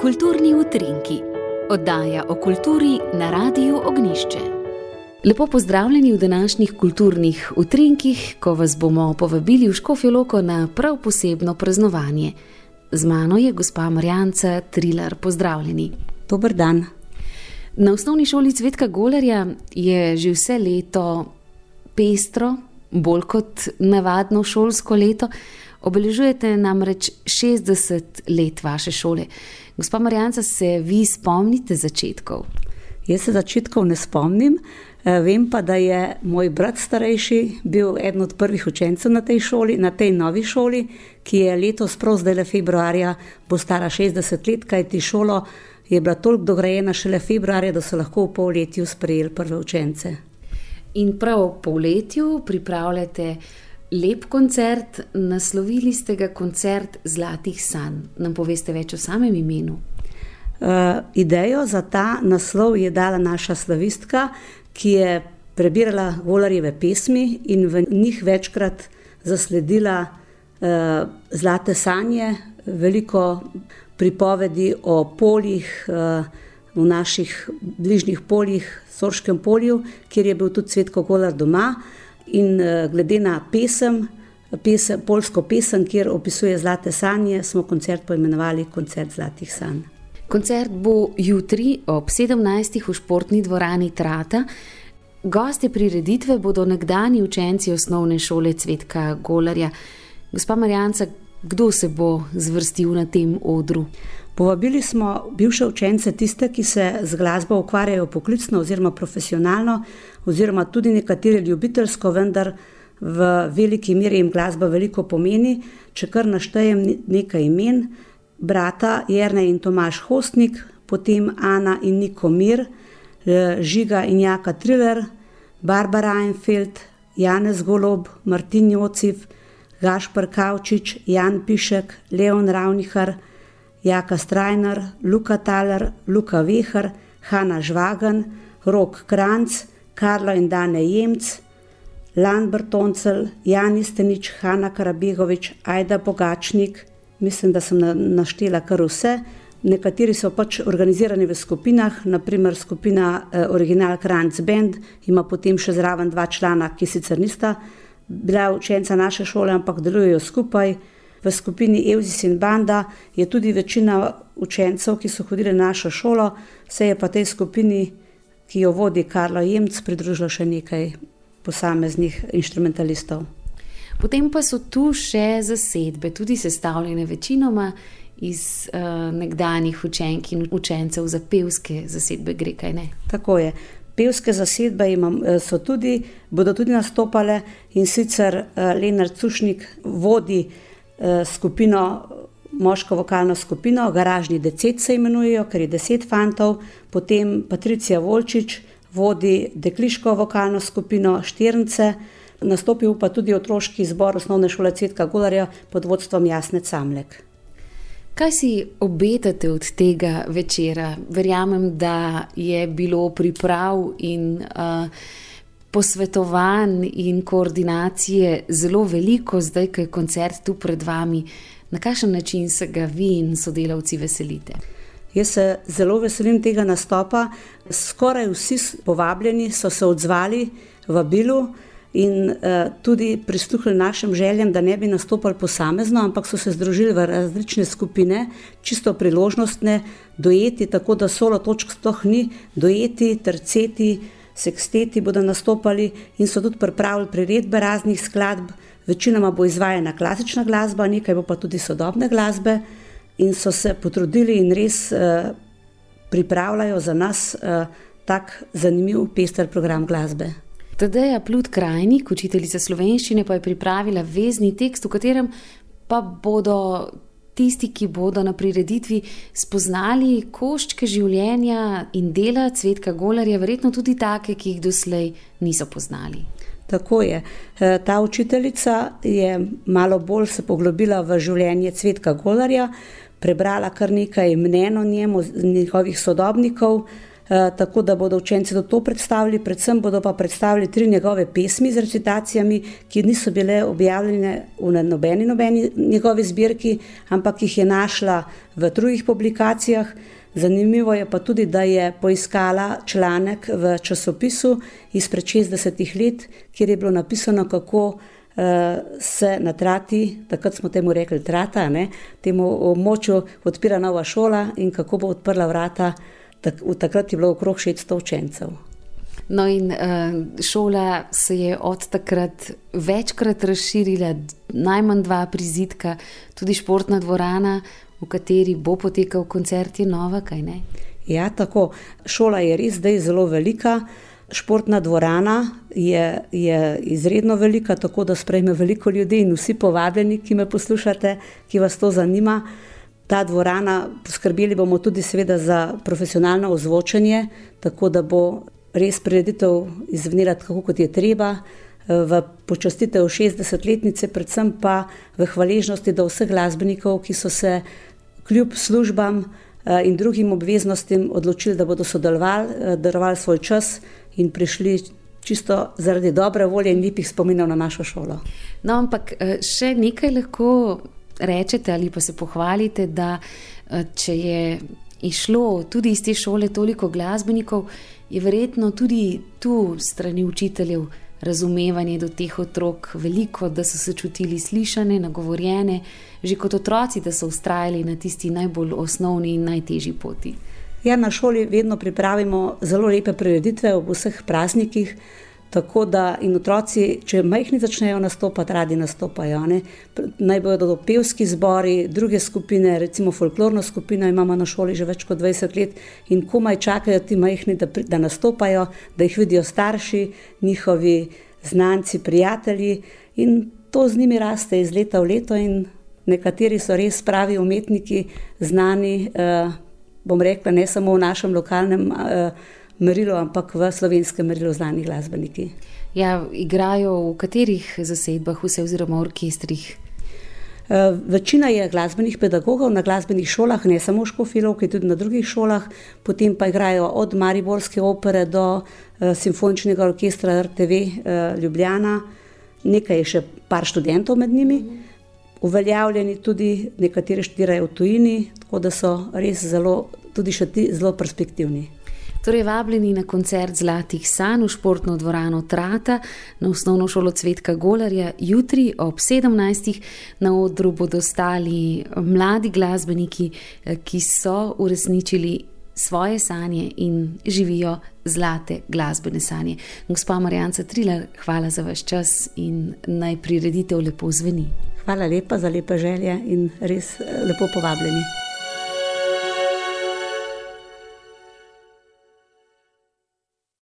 Kulturni utrinki, oddaja o kulturi na Radiu Ognjišče. Lepo pozdravljeni v današnjih kulturnih utrinkih, ko vas bomo povabili v Škofjo Loko na prav posebno praznovanje. Z mano je gospa Marjanca Trilar, pozdravljeni. Dober dan. Na osnovni šoli Cvetka Golarja je že vse leto pestro, bolj kot navadno šolsko leto. Obeležujete namreč 60 let vaše šole. Gospa Marjanca, se vi spomnite začetkov? Jaz se začetkov ne spomnim, vem pa, da je moj brat starejši bil eden od prvih učencev na tej šoli, na tej novi šoli, ki je letos prav zdajle februarja bo stara 60 let, kajti šolo je bila toliko dograjena šele februarja, da so lahko v polletju sprejeli prve učence. In prav v polletju pripravljate lep koncert, naslovili ste ga koncert Zlatih sanj. Nam poveste več o samem imenu? Idejo za ta naslov je dala naša slavistka, ki je prebirala Golarjeve pesmi in v njih večkrat zasledila zlate sanje, veliko pripovedi o poljih, v naših bližnjih poljih, Sorškem polju, kjer je bil tudi Cvetko Golar doma. In glede na poljsko pesem, kjer opisuje zlate sanje, smo koncert poimenovali Koncert Zlatih sanj. Koncert bo jutri ob 17. v športni dvorani Trata. Gostje prireditve bodo nekdanji učenci osnovne šole Cvetka Golarja. Gospa Marjanca, kdo se bo zvrstil na tem odru? Povabili smo bivše učence, tiste, ki se z glasbo ukvarjajo poklicno oziroma profesionalno, oziroma tudi nekateri ljubiteljsko, vendar v veliki meri jim glasba veliko pomeni. Če kar naštejem nekaj imen: brata Jernej in Tomaž Hostnik, potem Ana in Niko Mir, Žiga in Jaka Trilar, Barbara Einfeld, Janez Golob, Martin Jociv, Gašper Kavčič, Jan Pišek, Leon Ravnihar, Jaka Strajnar, Luka Taler, Luka Vehar, Hanna Žvagan, Rok Kranc, Karlo in Dane Jemc, Lan Bertoncel, Jani Stenič, Hanna Karabegovič, Ajda Bogačnik. Mislim, da sem naštela kar vse. Nekateri so pač organizirani v skupinah, naprimer skupina Original Kranc Band ima potem še zraven 2 člana, ki sicer nista bila učenca naše šole, ampak delujejo skupaj. V skupini Evzis in Banda je tudi večina učencev, ki so hodili na našo šolo, se je pa tej skupini, ki jo vodi Karlo Jemc, pridružilo še nekaj posameznih inštrumentalistov. Potem pa so tu še zasedbe, tudi sestavljene večinoma iz nekdanjih učenk in učencev za pevske zasedbe gre, kaj ne? Tako je. Pevske zasedbe bodo tudi nastopale, in sicer Lenart Cušnik vodi skupino, moško vokalno skupino, Garažni decet se imenujejo, ker je 10 fantov, potem Patricija Volčič vodi dekliško vokalno skupino Štirnice, nastopil pa tudi otroški zbor osnovne šole Cvetka Golarja pod vodstvom Jasne Camlek. Kaj si obetate od tega večera? Verjamem, da je bilo priprav in posvetovanj in koordinacije zelo veliko, zdaj, ko je koncert tu pred vami. Na kakšen način se ga vi in sodelavci veselite? Jaz se zelo veselim tega nastopa. Skoraj vsi povabljeni so se odzvali vabilu in tudi prisluhnili našim željam, da ne bi nastopali posamezno, ampak so se združili v različne skupine, čisto priložnostne, dueti, tako da solo točk sploh ni, dueti, terceti, seksteti bodo nastopali in so tudi pripravili priredbe raznih skladb. Večinoma bo izvajana klasična glasba, nekaj bo pa tudi sodobne glasbe, in so se potrudili in res pripravljajo za nas tak zanimiv, pester program glasbe. Tadeja Plut-Krajnik, učiteljica slovenščine, pa je pripravila vezni tekst, v katerem pa bodo tisti, ki bodo na prireditvi spoznali koščke življenja in dela Cvetka Golarja, verjetno tudi take, ki jih doslej niso poznali. Tako je. Ta učiteljica je malo bolj se poglobila v življenje Cvetka Golarja, prebrala kar nekaj mnenj o njem, njegovih sodobnikov, tako da bodo učenci to predstavili, predvsem bodo pa predstavili 3 njegove pesmi z recitacijami, ki niso bile objavljene v nobeni njegovi zbirki, ampak jih je našla v drugih publikacijah. Zanimivo je pa tudi, da je poiskala članek v časopisu izpred 60 let, kjer je bilo napisano, kako se na Trati, takrat smo temu rekli Trata, temu območju odpira nova šola in kako bo odprla vrata. Takrat je bilo okrog 600 učencev. No in šola se je od takrat večkrat razširila, najmanj 2 prizidka, tudi športna dvorana, v kateri bo potekal koncert, je nova, kaj ne? Ja, tako. Šola je res zdaj zelo velika. Športna dvorana je izredno velika, tako da sprejme veliko ljudi in vsi povabljeni, ki me poslušate, ki vas to zanima. Ta dvorana, poskrbeli bomo tudi seveda za profesionalno ozvočenje, tako da bo res prireditev izvenela tako, kot je treba, v počastitev 60-letnice, predvsem pa v hvaležnosti do vseh glasbenikov, ki so se kljub službam in drugim obveznostim odločili, da bodo sodelovali, darovali svoj čas in prišli čisto zaradi dobre volje in lepih spominov na našo šolo. No, ampak še nekaj lahko rečete ali pa se pohvalite, da če je išlo tudi iz te šole toliko glasbenikov, je verjetno tudi tu strani učiteljev razumevanje do teh otrok veliko, da so se čutili slišane, nagovorjene, že kot otroci, da so vztrajali na tisti najbolj osnovni in najtežji poti. Ja, na šoli vedno pripravimo zelo lepe prireditve ob vseh praznikih, tako da in otroci, če majhni začnejo nastopati, radi nastopajo. Naj bodo to pevski zbori, druge skupine, recimo folklorno skupino imamo na šoli že več kot 20 let in komaj čakajo ti majhni, da nastopajo, da jih vidijo starši, njihovi znanci, prijatelji in to z njimi raste iz leta v leto in nekateri so res pravi umetniki, znani, bom rekla, ne samo v našem lokalnem merilu, ampak v slovenskem merilu znani glasbeniki. Ja, igrajo v katerih zasedbah vse oziroma orkestrih? Večina je glasbenih pedagogov na glasbenih šolah, ne samo v Škofji Loki, tudi na drugih šolah, potem pa igrajo od Mariborske opere do simfoničnega orkestra RTV Ljubljana, nekaj je še par študentov med njimi, uveljavljeni tudi, nekateri študirajo v tujini, tako da so res tudi še ti zelo perspektivni. Torej vabljeni na koncert Zlatih sanj v športno dvorano Trata na osnovno šolo Cvetka Golarja jutri ob 17. Na odru bodo stali mladi glasbeniki, ki so uresničili svoje sanje in živijo zlate glasbene sanje. Gospa Marjanca Trilar, hvala za vaš čas in naj prireditev lepo zveni. Hvala lepa za lepe želje in res lepo povabljeni.